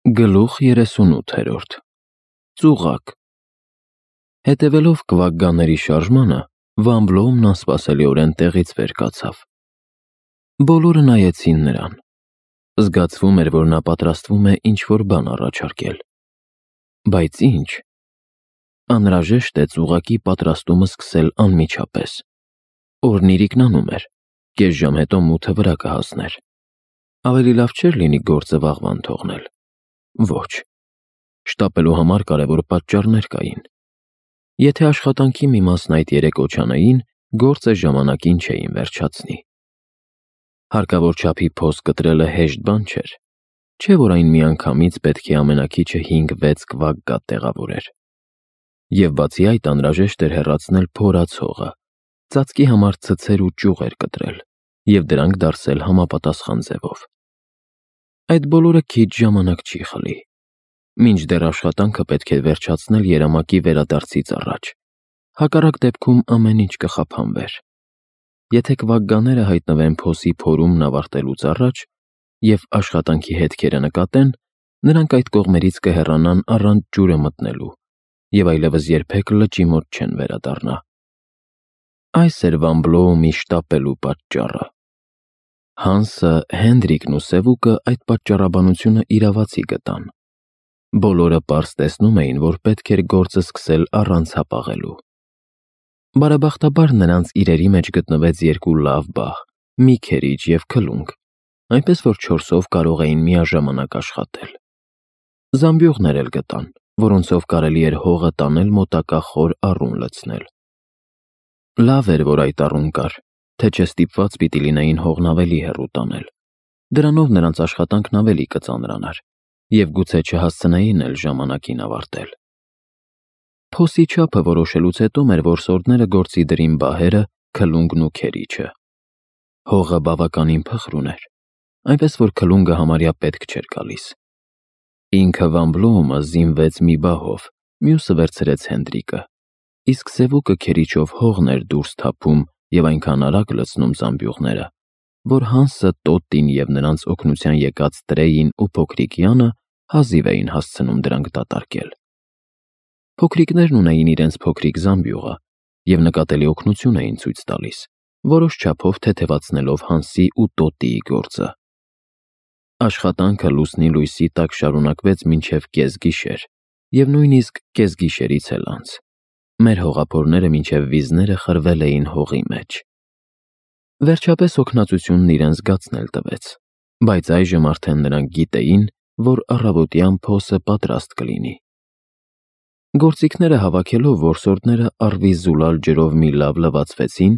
Գլուխ 38 Ծուղակ Հետևելով կվակգաների շարժմանը, Վան Բլոումն անսպասելիորեն տեղից վեր կացավ։ Բոլորը նայեցին նրան։ Զգացվում էր, որ նա պատրաստվում է ինչ-որ բան առաջարկել։ Բայց ինչ։ Անհրաժեշտ է ծուղակի պատրաստումը սկսել անմիջապես։ Օրն իրիկնանում էր, կես ժամ հետո մութը վրա կհասներ։ Ավելի լավ չէր լինի գործը վաղվան թողնել։ Ոչ, շտապելու համար կարևոր պատճառներ կային։ Եթե աշխատանքի մի մասն այդ երեք օջանային, գործը ժամանակին չէին վերջացնի։ Հարկավոր չափի փոս կտրելը հեշտ բան չէր, չէ՞ որ այն միանգամից պետք է ամենաքիչը 5-6 կվակգատ տեղավորեր։ Եվ բացի այդ անհրաժեշտ էր հեռացնել փորած հողը, ծածկի համար ցցեր ու ճյուղեր կտրել և դրանք դարսել համապատասխան ձևով։ Այդ բոլորը քիչ ժամանակ չի խլի։ Մինչդեռ աշխատանքը պետք է վերջացնել երամակի վերադարձից առաջ, հակառակ դեպքում ամեն ինչ կխափանվեր։ Եթե կվակգաները հայտնվեն փոսի փորումն ավարտելուց առաջ և աշխատանքի հետքերը նկատեն, նրանք այդ կողմերից կհեռանան առանց ջուրը մտնելու և այլևս երբեք լճի մոտ չեն վերադառնա։ Այս էր Վան Բլոումի շտապելու պատճառը։ Հանսը, Հենրիկն ու Սևուկը այդ պատճառաբանությունը իրավացի գտան։ Բոլորը պարզ տեսնում էին, որ պետք էր գործը սկսել առանց հապաղելու։ Բարեբախտաբար նրանց իրերի մեջ գտնվեց երկու լավ բահ՝ մի քերիչ և քլունգ, այնպես որ 4-ով կարող էին միաժամանակ աշխատել։ Զամբյուղներ էլ գտան, որոնցով կարելի էր հողը տանել մոտակա խոր առուն լցնել։ Լավ էր, որ այդ առուն կար, թե չէ ստիպված պիտի լինեին հողն ավելի հեռու տանել։ Դրանով նրանց աշխատանքն ավելի կծանրանար, և գուցե չհասցնեին էլ ժամանակին ավարտել։ Փոսի չափը որոշելուց հետո մեր որսորդները գործի դրին բահերը, քլունգն ու քերիչը։ Հողը բավականին փխրուն էր, այնպես որ քլունգը համարյա պետք չէր գալիս։ Ինքը Վան Բլոումը զինվեց մի բահով, մյուսը վերցրեց Հենրիկը, իսկ Սևուկը քերիչով հողն էր դուրս թափում և այնքան արագ լցնում զամբյուղները, որ Հանսը, Տոտին և նրանց օգնության եկած Տրեյին ու փոքրիկ Յանը հազիվ էին հասցնում դրանք դատարկել։ Փոքրիկներն ունեին իրենց փոքրիկ զամբյուղը և նկատելի օգնություն էին ցույց տալիս, որոշ չափով թեթևացնելով Հանսի ու Տոտիի գործը։ Աշխատանքը լուսնի լույսի տակ շարունակվեց մինչև կեսգիշեր և նույնիսկ կեսգիշերից էլ անց։ Մեր հողափորները մինչև վիզները խրվել էին հողի մեջ։ Վերջապես օգնածությունն իրեն զգացնել տվեց, բայց այժմ արդեն նրանք գիտեին, որ առավոտյան փոսը պատրաստ կլինի։ Գործիքները հավաքելով որսորդները առվի-զուլալ ջրով մի լավ լվացվեցին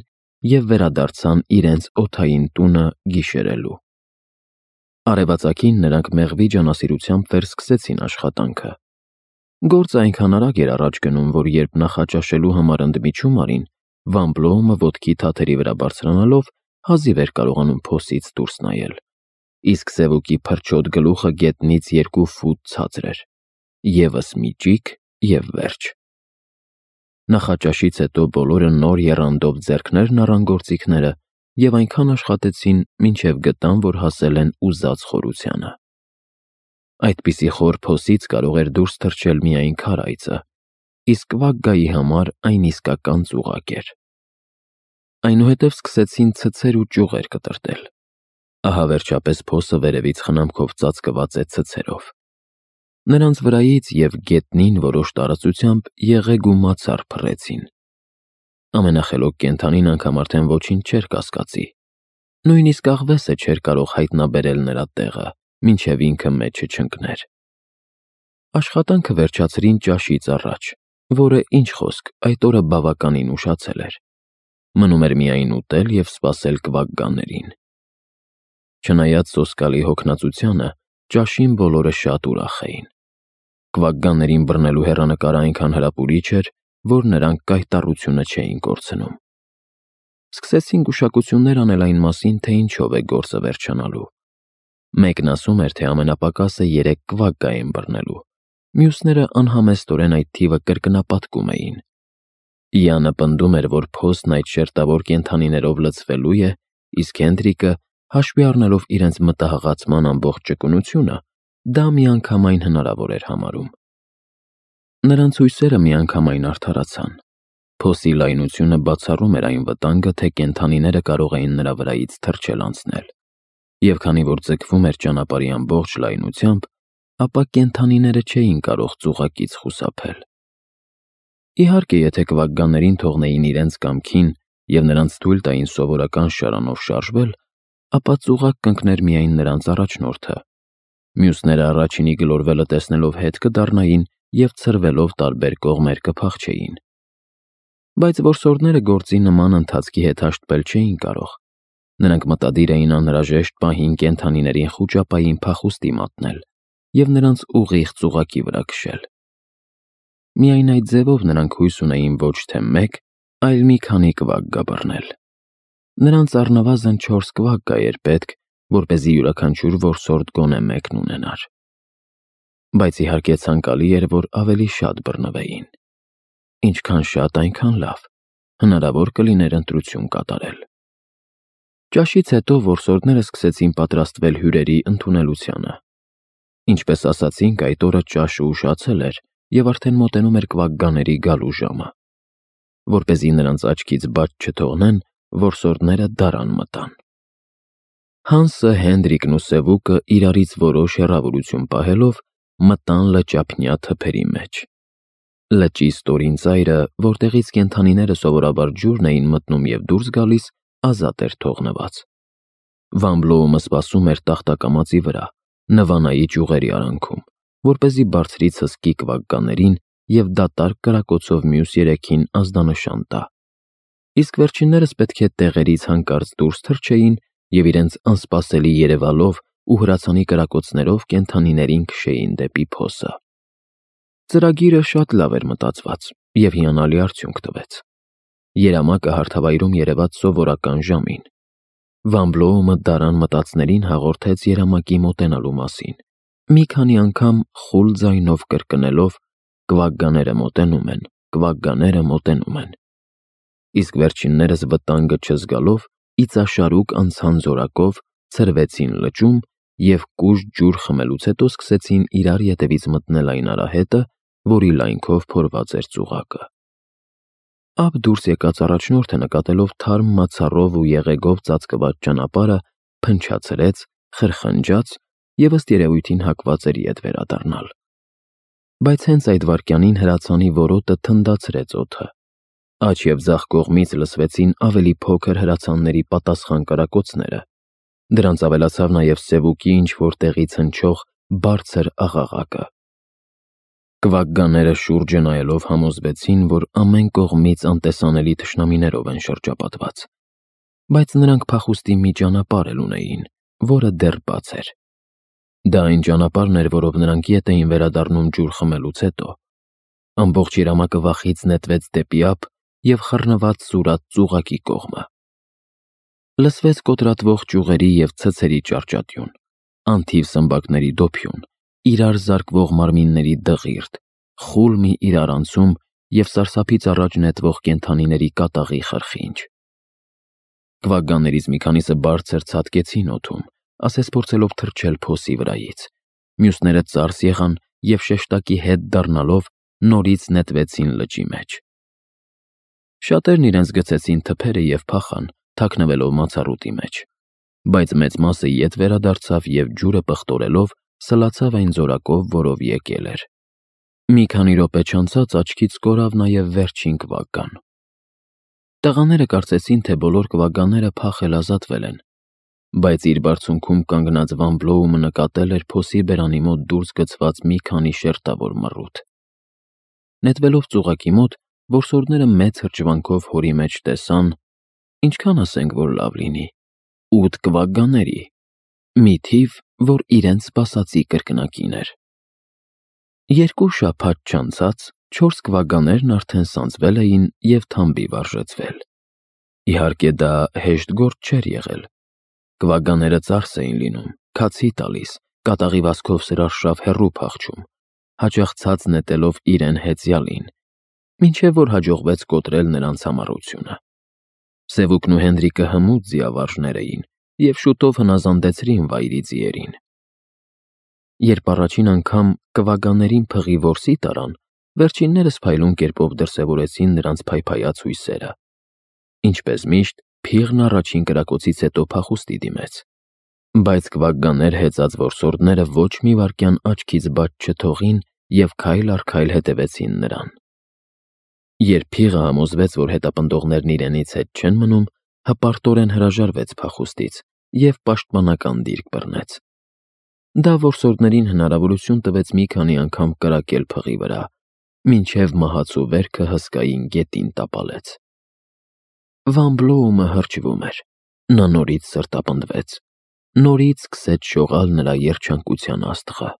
և վերադարձան իրենց օդային տունը գիշերելու։ Արևածագին նրանք մեղվի ջանասիրությամբ վերսկսեցին աշխատանքը։ Գործը այնքան արագ էր առաջ գնում, որ երբ նախաճաշելու համար ընդմիջում արին, Վան Բլոումը ոտքի թաթերի վրա բարձրանալով հազիվ էր կարողանում փոսից դուրս նայել, իսկ Սևուկի փրչոտ գլուխը գետնից 2 ֆուտ ցածր էր։ Եվս մի ճիգ և վերջ։ Նախաճաշից հետո բոլորը նոր եռանդով ձեռքներն առան գործիքները և այնքան աշխատեցին, մինչև գտան, որ հասել են ուզած խորությանը։ Այդպիսի խոր փոսից կարող էր դուրս թռչել միայն քարայծը, իսկ կվակգայի համար այն իսկական ծուղակ էր։ Այնուհետև սկսեցին ցցեր ու ճյուղեր կտրատել։ Ահա վերջապես փոսը վերևից խնամքով ծածկված է ցցերով։ Նրանց վրայից և գետնին որոշ տարածությամբ եղեգ ու մացառ փռեցին։ Ամենախելոք կենդանին անգամ արդեն ոչինչ չէր կասկածի։ Նույնիսկ աղվեսը չէր կարող հայտնաբերել նրա տեղը, մինչև ինքը մեջը չընկներ։ Աշխատանքը վերջացրին ճաշից առաջ, որը, ինչ խոսք, այդ օրը բավականին ուշացել էր։ Մնում էր միայն ուտել և սպասել կվակգաներին։ Չնայած սոսկալի հոգնածությանը, ճաշին բոլորը շատ ուրախ էին։ Կվակգաներին բռնելու հեռանկարը այնքան հրապուրիչ էր, որ նրանք կայտառությունը չէին կորցնում։ Սկսեցին գուշակություններ անել այն մասին, թե ինչով է գործը վերջանալու։ Մեկն ասում էր, թե ամենապակասը 3 կվակգա են բռնելու, մյուսները անհամեստորեն այդ թիվը կրկնապատկում էին։ Յանը պնդում էր, որ փոսն այդ շերտավոր կենդանիներով լցվելու է, իսկ Հենրիկը, հաշվի առնելով իրենց մտահղացման ամբողջ ճկունությունը, դա միանգամայն հնարավոր էր համարում։ Նրանց հույսերը միանգամայն արդարացան։ Փոսի լայնությունը բացառում էր այն վտանգը, թե կենդանիները կարող էին նրա վրայից թռչել անցնել, և քանի որ ձգվում էր ճանապարհի ամբողջ լայնությամբ, ապա կենդանիները չէին կարող ծուղակից խուսափել։ Իհարկե, եթե կվագգաներին թողնեին իրենց կամքին և նրանց թույլ տային սովորական շարանով շարժվել, ապա ծուղակ կընկներ միայն նրանց առաջնորդը։ Մյուսները առաջինի գլորվելը տեսնելով հետ կդառնային և ցրվելով տարբեր կողմեր կփախչեին։ Բայց որսորդները գործի նման ընթացքի հետ հաշտվել չէին կարող։ Նրանք մտադիր էին անհրաժեշտ պահին կենդանիներին խուճապային փախուստի մատնել և նրանց ուղիղ ծուղակի վրա քշել։ Միայն այդ ձևով նրանք հույս ունեին ոչ թե մեկ, այլ մի քանի կվագգա բռնել։ Նրանց առնվազն 4 կվագգա էր պետք, որպեսզի յուրաքանչյուր որսորդ գոնե մեկն ունենար։ Բայց իհարկե ցանկալի էր, որ ավելի շատ բռնվեին։ Ինչքան շատ, այնքան լավ, հնարավոր կլիներ ընտրություն կատարել։ Ճաշից հետո որսորդները սկսեցին պատրաստվել հյուրերի ընդունելությանը։ Ինչպես ասացինք, այդ օրը ճաշը ուշացել էր և արդեն մոտենում էր կվագգաների գալու ժամը։ Որպեսզի նրանց աչքից բաց չթողնեն, որսորդները դարան մտան։ Հանսը, Հենրիկն ու Սևուկը իրարից որոշ հեռավորություն պահելով մտան լճափնյա թփերի մեջ։ Լճի ստորին ծայրը, որտեղից կենդանիները սովորաբար ջուրն էին մտնում և դուրս գալիս, ազատ էր թողնված։ Վան Բլոումը սպասում էր տախտակամածի վրա, նվանայի ճյուղերի արանքում, որպեսզի բարձրից հսկի կվագգաներին և դատարկ կրակոցով մյուս 3-ին ազդանշան տա։ Իսկ վերջիններս պետք է տեղերից հանկարծ դուրս թռչեին և իրենց անսպասելի երևալով ու հրացանի կրակոցներով կենդանիներին քշեին դեպի փոսը։ Ծրագիրը շատ լավ էր մտածված և հիանալի արդյունք տվեց։ Երամակը հարթավայրում երևաց սովորական ժամին։ Վան Բլոումը դարան մտածներին հաղորդեց երամակի մոտենալու մասին, մի քանի անգամ խուլ ձայնով կրկնելով. «Կվագգաները մոտենում են, կվագգաները մոտենում են»։ Իսկ վերջիններս վտանգը չզգալով իծաշարուկ անցան զորակով, ցրվեցին լճում և կուժտ ջուր խմելուց հետո սկսեցին իրար ետևից մտնել այն արահետը, որի լայնքով փորված էր ծուղակը։ Ափ դուրս եկած առաջնորդը նկատելով թարմ մացառով ու եղեգով ծածկված ճանապարհը, փնչացրեց, խրխնջաց և ըստ երևույթին հակված էր ետ վերադառնալ։ Բայց հենց այդ վայրկյանին հրացանի որոտը թնդացրեց օդը։ Աջ և ձախ կողմից լսվեցին ավելի փոքր հրացանների պատասխան կրակոցները։ Դրանց ավելացավ նաև Սևուկի ինչ-որ տեղից հնչող բարձր աղաղակը։ Կվագգաները շուրջը նայելով համոզվեցին, որ ամեն կողմից անտեսանելի թշնամիներով են շրջապատված։ Բայց նրանք փախուստի մի ճանապարհ էլ ունեին, որը դեռ բաց էր։ Դա այն ճանապարհն էր, որով նրանք ետ էին վերադառնում ջուր խմելուց հետո։ Ամբողջ երամակը վախից նետվեց դեպի ափ և խռնված սուրաց ծուղակի կողմը։ Լսվեց կոտրատվող ճյուղերի և ցցերի ճարճատյուն, անթիվ սմբակների դոփյուն, իրար զարկվող մարմինների դղիրդ, խուլ մի իրարանցում և սարսափից առաջ նետվող կենդանիների կատաղի խրխինջ։ Կվագգաներից մի քանիսը բարձր ցատկեցին օդում, ասես փորձելով թռչել փոսի վրայից։ Մյուսները ծարս եղան և շեշտակի հետ դառնալով նորից նետվեցին լճի մեջ։ Շատերն իրենց գցեցին թփերը և փախան, թաքնվելով մացառուտի մեջ։ Բայց մեծ մասը ետ վերադարձավ և ջուրը պղտորելով սլացավ այն զորակով, որով եկել էր։ Մի քանի րոպե չանցած աչքից կորավ նաև վերջին կվագգան։ Տղաները կարծեցին, թե բոլոր կվագգաները փախել ազատվել են, բայց իր բարձունքում կանգնած Վան Բլոումը նկատել էր փոսի բերանի մոտ դուրս գցված մի քանի շերտավոր մռութ։ Նետվելով ծուղակի մոտ, որսորդները մեծ հրճվանքով հորի մեջ տեսան, ինչքան ասենք, որ լավ լինի, 8 կվագգաների, մի թիվ, որ իրենց սպասածի կրկնակին էր։ 2 շաբաթ չանցած 4 կվագգաներն արդեն սանձվել էին և թամբի վարժեցվել։ Իհարկե, դա հեշտ գործ չէր եղել։ Կվագգաները ծարս էին լինում, քացի տալիս, կատաղի վազքով սրարշավ հեռու փախչում, հաճախ ցած նետելով իրեն հեծյալին, մինչև որ հաջողվեց կոտրել նրանց համառությունը։ Սևուկն ու Հենրիկը հմուտ ձիավարժներ էին և շուտով հնազանդեցրին վայրի ձիերին։ Երբ առաջին անգամ կվագաներին փղի որսի տարան, վերջիններս փայլուն կերպով դրսևորեցին նրանց փայփայած հույսերը։ Ինչպես միշտ, փիղն առաջին կրակոցից հետո փախուստի դիմեց, բայց կվագաներ հեծած որսորդները ոչ մի վայրկյան աչքից բաց չթողին և քայլ առ քայլ հետևեցին նրան։ Երբ փիղը համոզվեց, որ հետապնդողներն իրենից հետ չեն մնում, հպարտորեն հրաժարվեց փախուստից և պաշտպանական դիրք բռնեց։ Դա որսորդներին հնարավորություն տվեց մի քանի անգամ կրակել փղի վրա, մինչև մահացու վերքը հսկային գետին տապալեց։ Վան Բլոումը հրճվում էր։ Նա նորից սրտապնդվեց։ Նորից սկսեց շողալ նրա երջանկության աստղը։